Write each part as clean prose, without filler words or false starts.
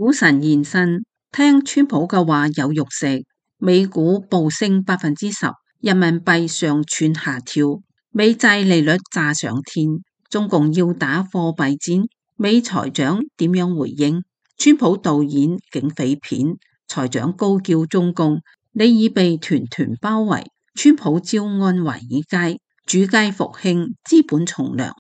股神現身，聽川普嘅話有肉食，美股暴升10%，人民幣上竄下跳，美債利率炸上天，中共要打貨幣戰，美財長點樣回應？川普導演警匪片，財長高叫中共，你已被團團包圍。川普招安華爾街，主街復興，資本從良。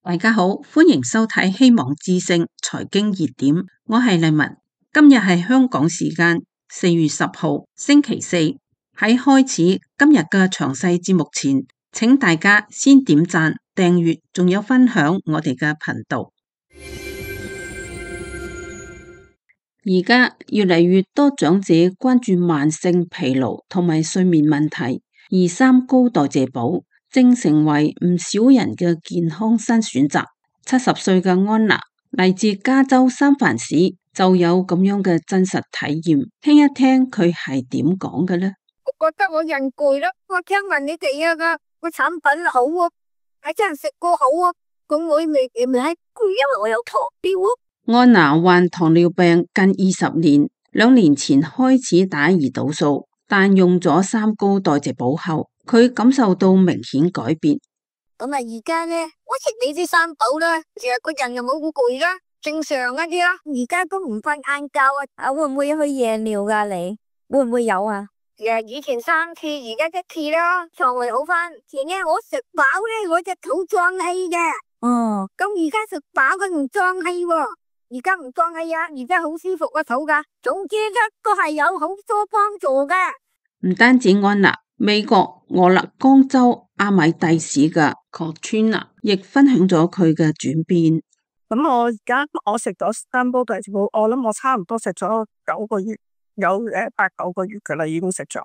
大家好，歡迎收睇希望之聲財經熱點，我係麗文。今日係香港時間4月10號星期四。喺開始今日嘅詳細節目前，請大家先點讚、訂閱，仲有分享我哋嘅頻道。而家越嚟越多長者關注慢性疲勞同埋睡眠問題，而三高代謝寶正成為唔少人嘅健康新選擇。70歲嘅安娜嚟自加州三藩市，就有咁樣嘅真實體驗，聽一聽佢係點講嘅呢？我覺得我人攰啦，我聽聞你哋個產品好啊，係真係食過好啊，咁我未攰，因為我有糖尿啊。安娜患糖尿病近20年，2年前開始打胰島素，但用咗三高代謝寶後，佢感受到明顯改變。咁而家呢，我食你啲三寶啦，其實個人又冇咁攰啦，正常一啲啦。而家都唔瞓晏覺啊，會唔會去夜尿噶？你會唔會有啊？以前3次，而家1次啦，腸胃好翻。前呢我食飽呢，我隻肚脹氣嘅。哦，咁而家食飽佢唔脹氣喎。而家唔脹氣啊，而家好舒服個肚噶。總之呢都係有好多幫助噶。唔單止安娜，美國俄勒岡州阿米蒂市嘅Katrina亦分享咗佢嘅轉變。咁我而家我食咗三煲代謝寶，我諗我差唔多食咗9個月，有8、9個月噶啦，已經食咗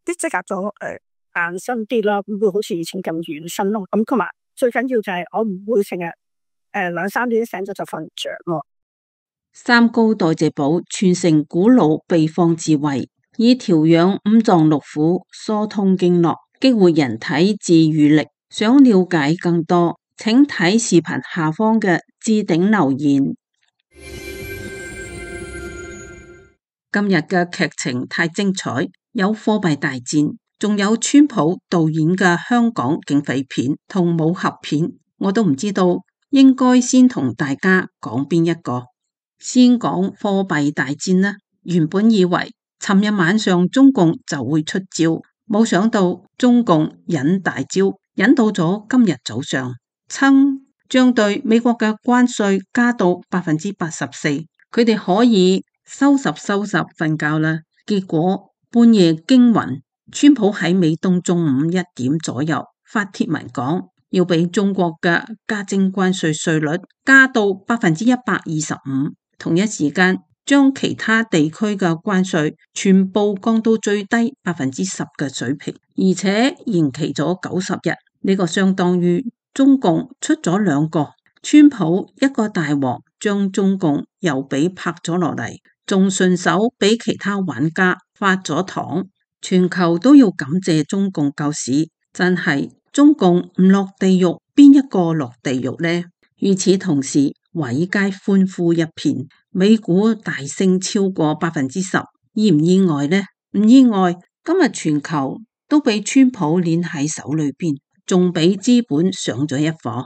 啲即刻咗硬身啲啦，唔會好似以前咁軟身咯。咁同埋最緊要就係我唔會成日2、3點醒咗就瞓着咯。三高代謝寶傳承古老秘方智慧，以調養五臟六腑、疏通經絡、激活人體自癒力。想了解更多，請睇視頻下方嘅置頂留言。今日嘅劇情太精彩，有貨幣大戰，仲有川普導演嘅香港警匪片同武俠片，我都唔知道應該先同大家講邊一個。先講貨幣大戰啦，原本以為尋日晚上中共就會出招，冇想到中共引大招，引到咗今日早上，將對美國嘅關稅加到84%，佢哋可以收拾瞓覺啦。結果半夜驚魂，川普喺美東中午1點左右發帖文講，要俾中國嘅加徵關稅率加到125%，同一時間將其他地區嘅關稅全部降到最低10%嘅水平，而且延期咗90日。呢個相當於中共出咗2個，川普一個大王將中共又俾拍咗落嚟，仲順手俾其他玩家發咗糖。全球都要感謝中共救市，真係中共唔落地獄，邊一個落地獄呢？與此同時，華爾街歡呼一片，美股大升超過10%，意唔意外呢？唔意外，今日全球都俾川普捏喺手裏邊，仲俾資本上咗一課。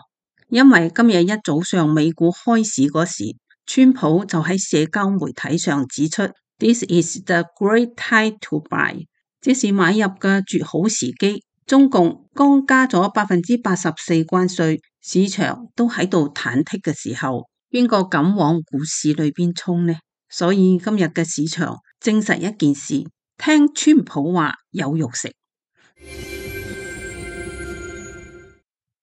因為今日一早上美股開市嗰時，川普就喺社交媒體上指出 ，This is the great time to buy， 這是買入嘅絕好時機。中共剛加咗84%關稅，市場都喺度忐忑嘅時候，邊個敢往股市裏邊衝呢？所以今日嘅市場證實一件事，聽川普話有肉食。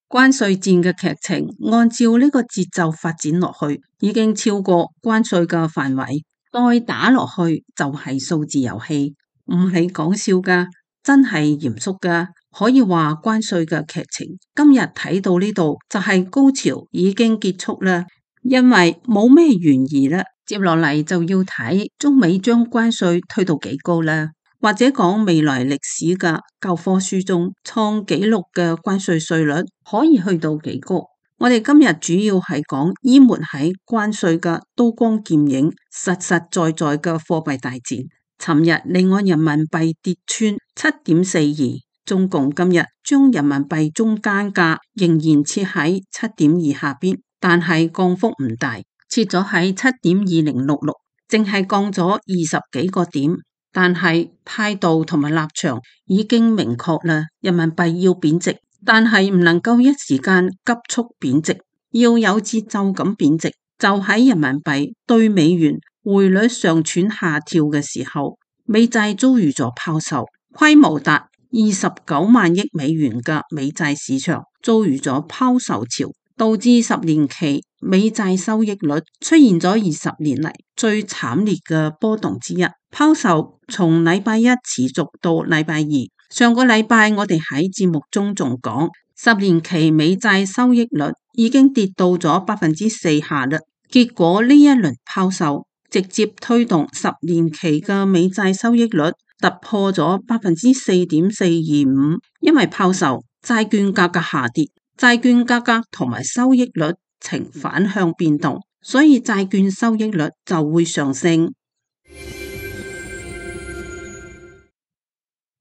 關稅戰嘅劇情按照呢個節奏發展落去，已經超過關稅嘅範圍，再打落去就係數字遊戲，唔係講笑噶，真係嚴肅噶。可以話關稅嘅劇情今日睇到呢度就係高潮已經結束啦，因為冇咩懸疑啦，接落嚟就要睇中美將關稅推到幾高啦。或者講未來歷史嘅教科書中創紀錄嘅關稅稅率可以去到幾高？我哋今日主要係講淹沒喺關稅嘅刀光劍影、實實在在嘅貨幣大戰。尋日離岸人民幣跌穿7.42，中共今日將人民幣中間價仍然設喺7.2下邊，但係降幅唔大，設咗喺7.2066，淨係降咗20幾個點。但係態度同埋立場已經明確啦，人民幣要貶值，但係唔能夠一時間急速貶值，要有節奏咁貶值。就喺人民幣對美元匯率上竄下跳嘅時候，美債遭遇咗拋售，規模達29萬億美元嘅美債市場遭遇咗拋售潮，導致10年期美債收益率出現咗20年嚟最慘烈嘅波動之一。拋售從禮拜一持續到禮拜二，上個禮拜我哋喺節目中仲講10年期美債收益率已經跌到咗4%下嘞。結果呢一輪拋售直接推動10年期嘅美債收益率突破咗4.425%，因為拋售債券價格下跌，債券價格同埋收益率呈反向變動，所以債券收益率就會上升。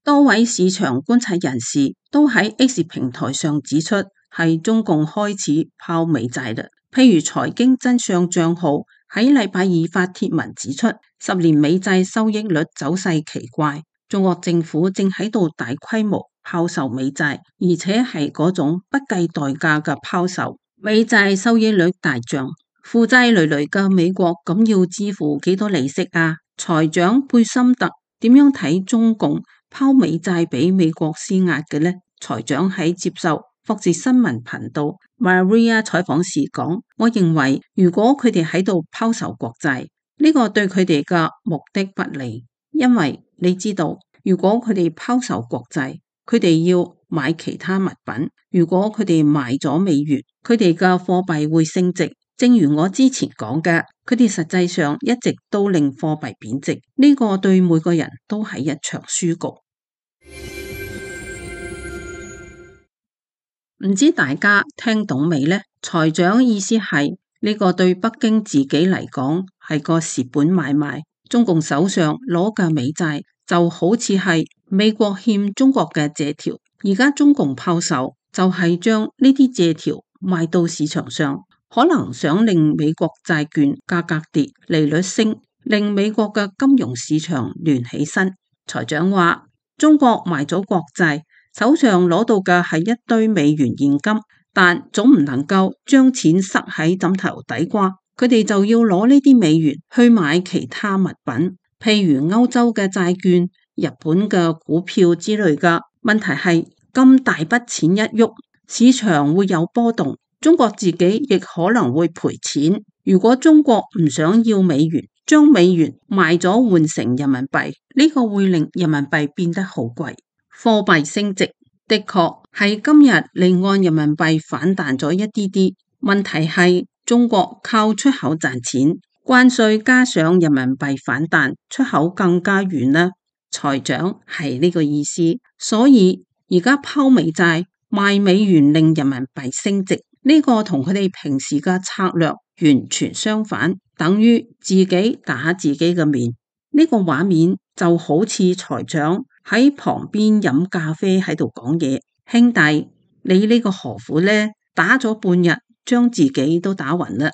多位市場觀察人士都喺 X 平台上指出，係中共開始拋美債啦。譬如財經真相賬號喺禮拜二發帖文指出，10年美債收益率走勢奇怪，中國政府正喺度大規模拋售美債，而且係嗰種不計代價嘅拋售。美債收益率大漲，負債累累嘅美國咁要支付幾多利息啊？財長貝森特點樣睇中共拋美債俾美國施壓嘅呢？財長喺接受福斯新聞頻道 Maria 採訪時講，我認為如果佢哋喺度拋售國債，呢個對佢哋嘅目的不利，因為你知道，如果佢哋拋售國債，佢哋要買其他物品，如果佢哋賣咗美元，佢哋嘅貨幣會升值。正如我之前講嘅，佢哋實際上一直都令貨幣貶值，呢個對每個人都係一場輸局。唔知大家聽懂未呢？財長意思係呢個對北京自己嚟講係個蝕本買賣，中共手上攞嘅美債就好似係美國欠中國嘅借條，而家中共拋售就係將呢啲借條賣到市場上，可能想令美國債券價格跌，利率升，令美國嘅金融市場亂起身。財長話，中國賣咗國債，手上攞到嘅係一堆美元現金，但總唔能夠將錢塞喺枕頭底瓜，佢哋就要攞呢啲美元去買其他物品，譬如歐洲嘅債券、日本嘅股票之類嘅。問題係咁大筆錢一喐，市場會有波動，中國自己亦可能會賠錢。如果中國唔想要美元，將美元賣咗換成人民幣，呢個會令人民幣變得好貴，貨幣升值。的確係今日離岸人民幣反彈咗一啲啲，問題係中國靠出口賺錢，關稅加上人民幣反彈，出口更加遠啦。財長係呢個意思，所以而家拋美債賣美元令人民幣升值，呢個同佢哋平時嘅策略完全相反，等於自己打自己嘅面。呢個畫面就好似財長喺旁邊飲咖啡喺度講嘢，兄弟，你呢個何苦呢？打咗半日，將自己都打暈啦。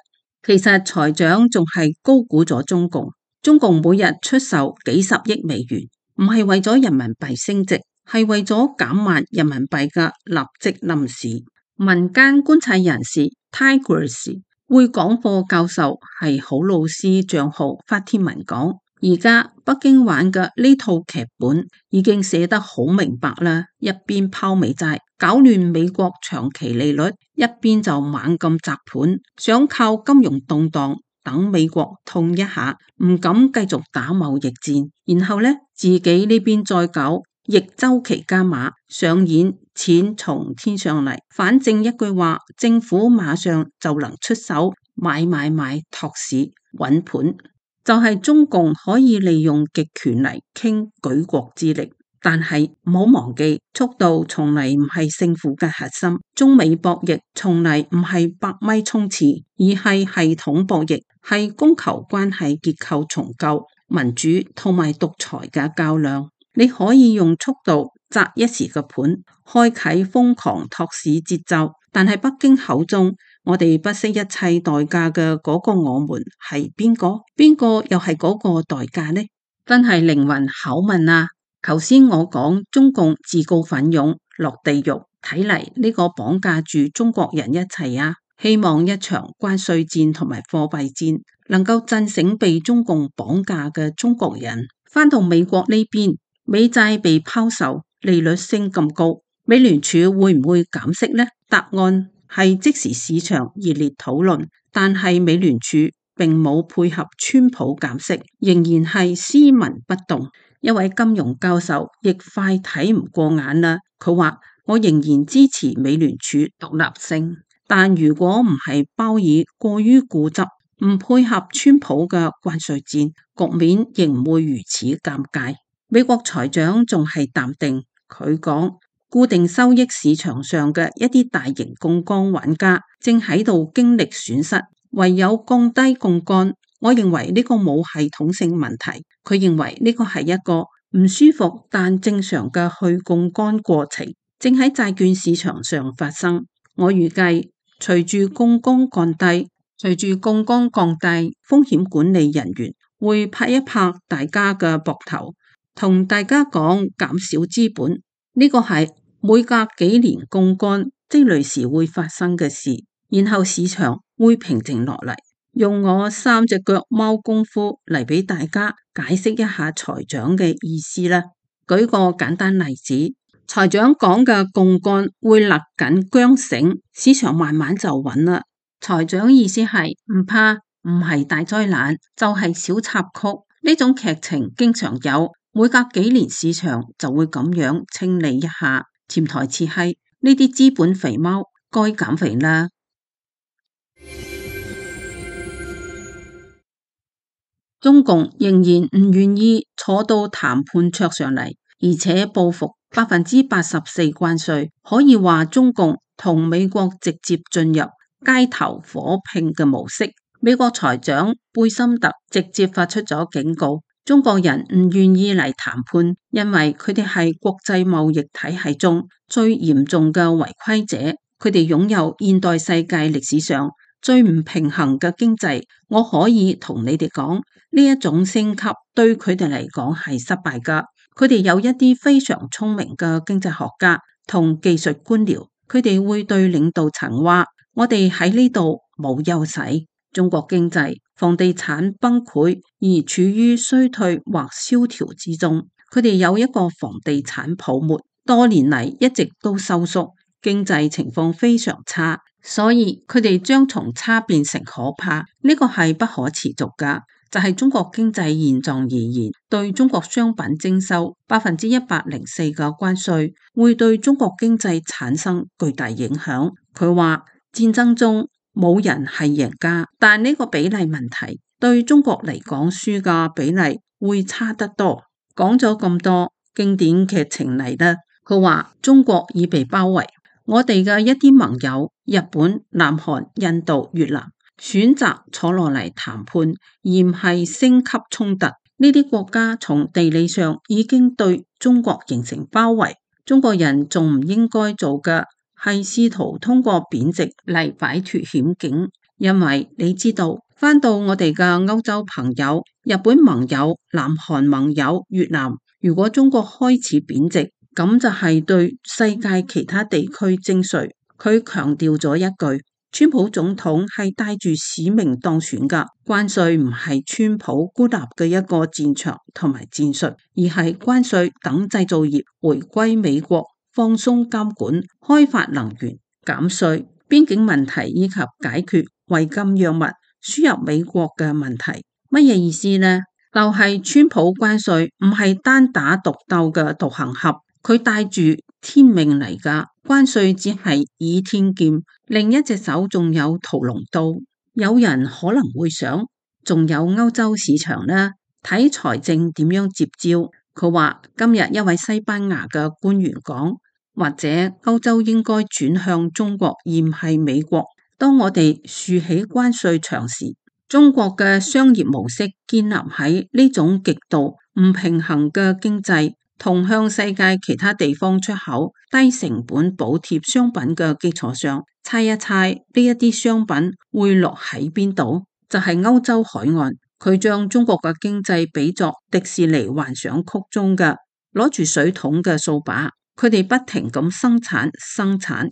其實財長仲係高估咗中共，中共每日出售幾十億美元，唔係為咗人民幣升值，係為咗減慢人民幣嘅立即冧市。民間觀察人士 Tigris 會講課教授係好老師賬號發帖文講，而家北京玩嘅呢套劇本已經寫得好明白啦，一邊拋美債搞亂美國長期利率，一邊就猛咁砸盤，想靠金融動盪等美國痛一下，唔敢繼續打貿易戰，然後呢，自己呢邊再搞逆周期加碼，上演錢從天上嚟，反正一句話，政府馬上就能出手買托市穩盤，就係中共可以利用極權嚟傾舉國之力。但係唔好忘記，速度從嚟唔係勝負嘅核心。中美博弈從嚟唔係100米衝刺，而係系統博弈，係供求關係結構重構、民主同埋獨裁嘅較量。你可以用速度擲一時嘅盤，開啟瘋狂托市節奏，但係北京口中我哋不惜一切代價嘅嗰個我們係邊個？邊個又係嗰個代價呢？真係靈魂拷問啊！頭先我講中共自告奮勇落地獄，睇嚟呢個綁架住中國人一切啊！希望一場關稅戰同埋貨幣戰能夠震醒被中共綁架嘅中國人。返到美國呢邊，美債被拋售，利率升咁高，美聯儲會唔會減息呢？答案係即時市場熱烈討論，但係美聯儲並冇配合川普減息，仍然係斯文不動。一位金融教授亦快睇唔過眼啦，佢話：我仍然支持美聯儲獨立性，但如果唔係鮑爾過於固執，唔配合川普嘅關稅戰，局面仍唔會如此尷尬。美國財長仲係淡定，佢講固定收益市場上嘅一啲大型槓桿玩家正喺度經歷損失，唯有降低槓桿。我認為呢個冇系統性問題，佢認為呢個係一個唔舒服但正常嘅去槓桿過程，正喺債券市場上發生。我預計隨住槓桿降低，風險管理人員會拍一拍大家嘅膊頭，同大家講減少資本，呢個係每隔幾年槓桿積累時會發生嘅事，然後市場會平靜落嚟。用我3隻腳貓功夫嚟俾大家解釋一下財長嘅意思啦。舉個簡單例子，財長講嘅槓桿會勒緊韁繩，市場慢慢就穩啦。財長意思係唔怕，唔係大災難，就係小插曲。呢種劇情經常有，每隔幾年市場就會咁樣清理一下。潛台詞係呢啲資本肥貓該減肥啦。中共仍然唔願意坐到談判桌上嚟，而且報復84%關稅，可以話中共同美國直接進入街頭火拼嘅模式。美國財長貝森特直接發出咗警告，中國人唔願意嚟談判，因為佢哋係國際貿易體系中最嚴重嘅違規者，佢哋擁有現代世界歷史上最唔平衡嘅經濟。我可以同你哋講，呢一種升級對佢哋嚟講係失敗噶。佢哋有一啲非常聰明嘅經濟學家同技術官僚，佢哋會對領導層話：我哋喺呢度冇優勢。中國經濟房地產崩潰而處於衰退或蕭條之中，佢哋有一個房地產泡沫，多年嚟一直都收縮，經濟情況非常差，所以佢哋將從差變成可怕，呢個係不可持續噶。就係中國經濟現狀而言，對中國商品徵收104%嘅關稅，會對中國經濟產生巨大影響。佢話戰爭中冇人係贏家，但呢個比例問題對中國嚟講，輸嘅比例會差得多。講咗咁多經典劇情嚟啦，佢話中國已被包圍，我哋嘅一啲盟友日本、南韓、印度、越南選擇坐落嚟談判，而唔係升級衝突。呢啲國家從地理上已經對中國形成包圍，中國人仲唔應該做嘅係試圖通過貶值嚟擺脫險境。因為你知道，返到我哋嘅歐洲朋友、日本盟友、南韓盟友、越南，如果中國開始貶值，咁就係對世界其他地區徵稅。佢強調咗一句，川普總統係帶住使命當選噶，關稅唔係川普孤立嘅一個戰場同埋戰術，而係關稅等製造業回歸美國，放鬆監管，開發能源，減稅，邊境問題以及解決違禁藥物輸入美國嘅問題。乜嘢意思呢？就係川普關稅唔係單打獨鬥嘅獨行俠，佢帶住天命嚟噶，關稅只係倚天劍，另一隻手仲有屠龍刀。有人可能會想，仲有歐洲市場呢？睇財政點樣接招？佢話今日一位西班牙嘅官員講，或者歐洲應該轉向中國而唔係美國。當我哋豎起關稅牆時，中國嘅商業模式建立喺呢種極度唔平衡嘅經濟同向世界其他地方出口低成本補貼商品嘅基礎上，猜一猜呢一啲商品會落喺邊度？就係歐洲海岸。佢將中國嘅經濟比作迪士尼幻想曲中嘅攞住水桶嘅掃把，佢哋不停咁生產、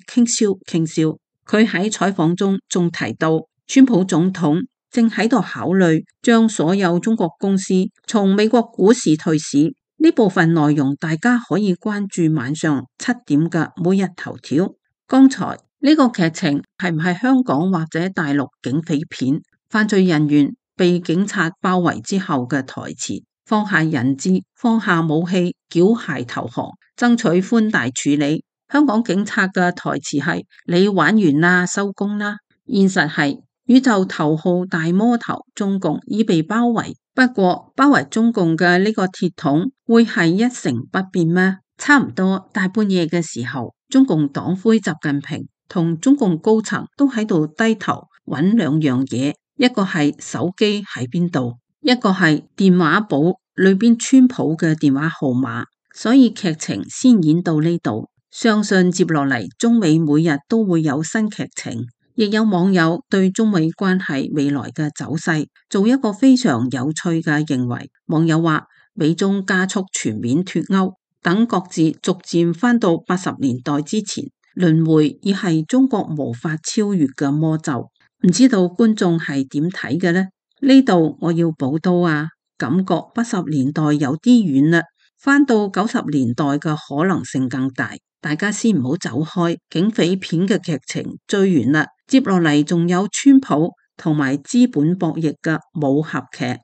傾銷。佢喺採訪中仲提到，川普總統正喺度考慮將所有中國公司從美國股市退市。呢部分內容大家可以關注晚上7點嘅每日頭條。剛才呢個劇情係唔係香港或者大陸警匪片？犯罪人員被警察包圍之後嘅台詞，放下人質，放下武器，繳械投降，爭取寬大處理。香港警察嘅台詞係你玩完啦，收工啦。現實係宇宙頭號大魔頭中共已被包圍，不過包圍中共嘅呢個鐵桶會係一成不變咩？差唔多大半夜嘅時候，中共黨魁習近平同中共高層都喺度低頭揾兩樣嘢。一個係手機喺邊度，一個係電話簿裏邊川普嘅電話號碼，所以劇情先演到呢度。相信接落嚟中美每日都會有新劇情，亦有網友對中美關係未來嘅走勢做一個非常有趣嘅認為。網友話美中加速全面脫鈎，等各自逐漸返到80年代之前，輪迴已係中國無法超越嘅魔咒。唔知道觀眾係點睇嘅呢？呢度我要補刀啊，感覺80年代有啲遠啦，返到90年代嘅可能性更大。大家先唔好走開，警匪片嘅劇情追完啦，接落嚟仲有川普同埋資本博弈嘅武俠劇。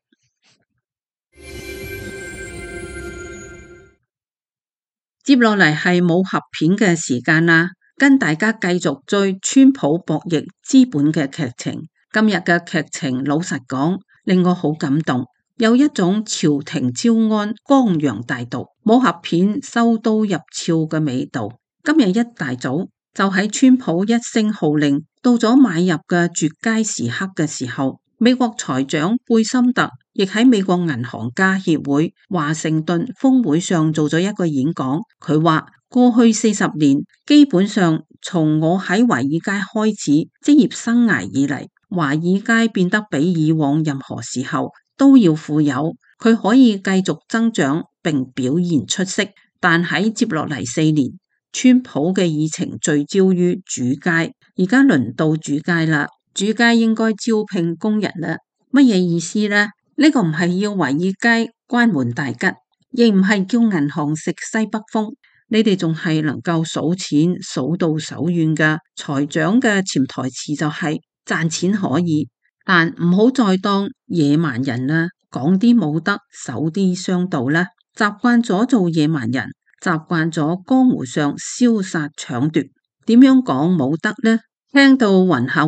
接落嚟係武俠片嘅時間啦。跟大家繼續追川普博弈資本嘅劇情。今日嘅劇情老實講令我好感動，有一種朝廷招安、江洋大盜、武俠片收刀入鞘嘅味道。今日一大早就喺川普一聲號令到咗買入嘅絕佳時刻嘅時候，美國財長貝森特亦喺美國銀行家協會華盛頓峰會上做咗一個演講。佢話過去40年，基本上從我喺華爾街開始職業生涯以嚟，華爾街變得比以往任何時候都要富有。佢可以繼續增長並表現出色，但喺接落嚟4年，川普嘅議程聚焦於主街，而家輪到主街啦。主街應該招聘工人啦。乜嘢意思呢？呢個唔係要華爾街關門大吉，亦唔係叫銀行食西北風。你哋仲係能夠數錢數到手軟㗎。財長嘅潛台詞就係賺錢可以，但唔好再當野蠻人啦，講啲冇德，守啲商道啦。習慣咗做野蠻人，習慣咗江湖上燒殺搶奪，點樣講冇德呢？聽到暈下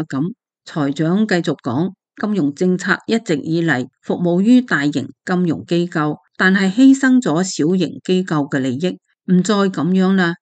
咁。財長繼續講，金融政策一直以嚟服務於大型金融機構，但係犧牲咗小型機構嘅利益。唔再咁樣啦，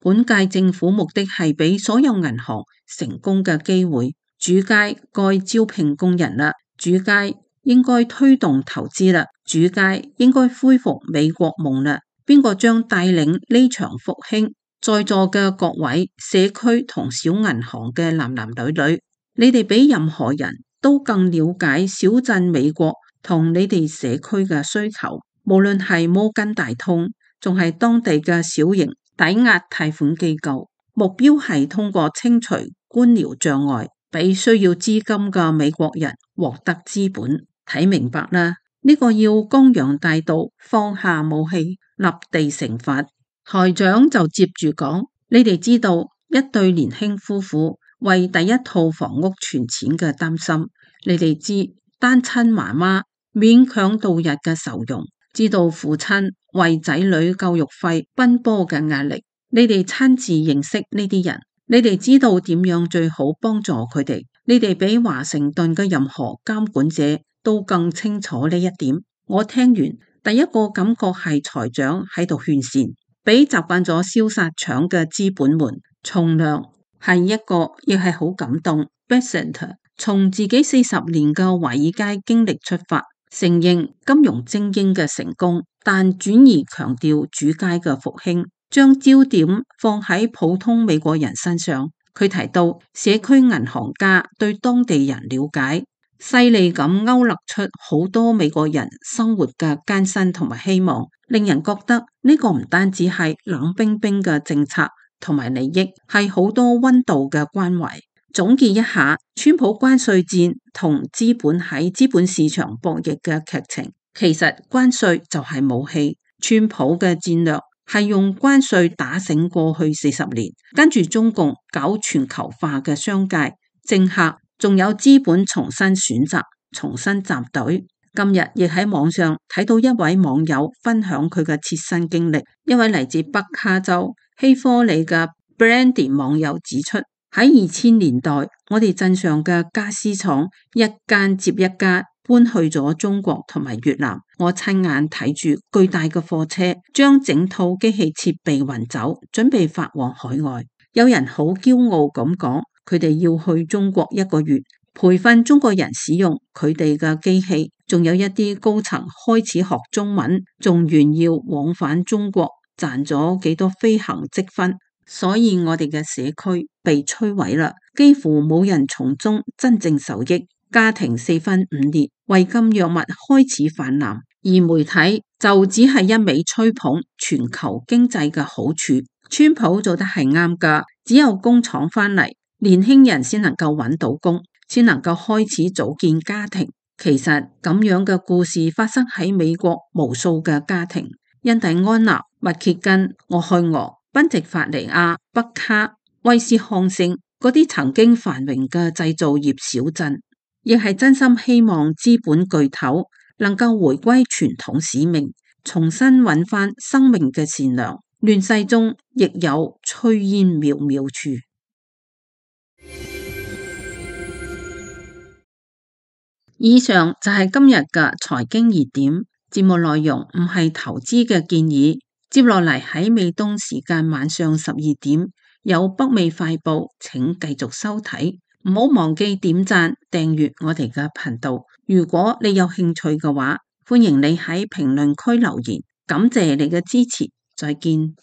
本屆政府目的係俾所有銀行成功嘅機會。主街該招聘工人啦，主街應該推動投資啦，主街應該恢復美國夢啦。邊個將帶領呢場復興？在座嘅各位社區同小銀行嘅男男女女，你哋比任何人都更了解小鎮美國同你哋社區嘅需求。無論係摩根大通，仲係當地嘅小型抵押貸款機構，目標係通過清除官僚障礙，俾需要資金嘅美國人獲得資本。睇明白啦，呢個要江洋大盜，放下武器，立地成佛。台長就接住講，你哋知道一對年輕夫婦為第一套房屋存錢嘅擔心，你哋知單親媽媽勉強度日嘅愁容，知道父親為仔女教育費奔波嘅壓力，你哋親自認識呢啲人，你哋知道點樣最好幫助佢哋，你哋比華盛頓嘅任何監管者都更清楚呢一點。我聽完第一個感覺係財長喺度勸善，俾習慣咗燒殺搶嘅資本們從良。係一個亦係好感動。Bessent 從自己40年嘅華爾街經歷出發，承認金融精英嘅成功，但轉而強調主街嘅復興，將焦點放喺普通美國人身上。佢提到社區銀行家對當地人了解，細膩咁勾勒出好多美國人生活嘅艱辛同埋希望，令人覺得呢個唔單止係冷冰冰嘅政策同埋利益，係好多溫度嘅關懷。總結一下，川普關稅戰同資本喺資本市場博弈嘅劇情，其實關稅就係武器。川普嘅戰略係用關稅打醒過去40年，跟住中共搞全球化嘅商界、政客，仲有資本重新選擇、重新集隊。今日亦喺網上睇到一位網友分享佢嘅切身經歷，一位嚟自北卡州希科里嘅 Brandy 網友指出，喺2000年代，我哋鎮上嘅家私廠一間接一間搬去咗中國同埋越南。我親眼睇住巨大嘅貨車將整套機器設備運走，準備發往海外。有人好驕傲咁講，佢哋要去中國1個月，培訓中國人使用佢哋嘅機器。仲有一啲高層開始學中文，仲炫耀往返中國賺咗幾多飛行積分。所以我哋嘅社區被摧毀啦，幾乎冇人從中真正受益，家庭4分5裂，違禁藥物開始泛濫，而媒體就只係一味吹捧全球經濟嘅好處。川普做得係啱㗎，只有工廠返嚟，年輕人先能夠揾到工，先能夠開始組建家庭。其實咁樣嘅故事發生喺美國無數嘅家庭，印第安納、密歇根、俄亥俄、賓夕法尼亞、北卡、威斯康星嗰啲曾經繁榮嘅製造業小鎮，亦係真心希望資本巨頭能夠回歸傳統使命，重新揾返生命嘅善良。亂世中亦有炊煙渺渺處。以上就係今日嘅財經熱點，節目內容唔係投資嘅建議。接落嚟喺美東時間晚上12點有北美快報，請繼續收睇。唔好忘記點讚訂閱我哋嘅頻道。如果你有興趣嘅話，歡迎你喺評論區留言。感謝你嘅支持，再見。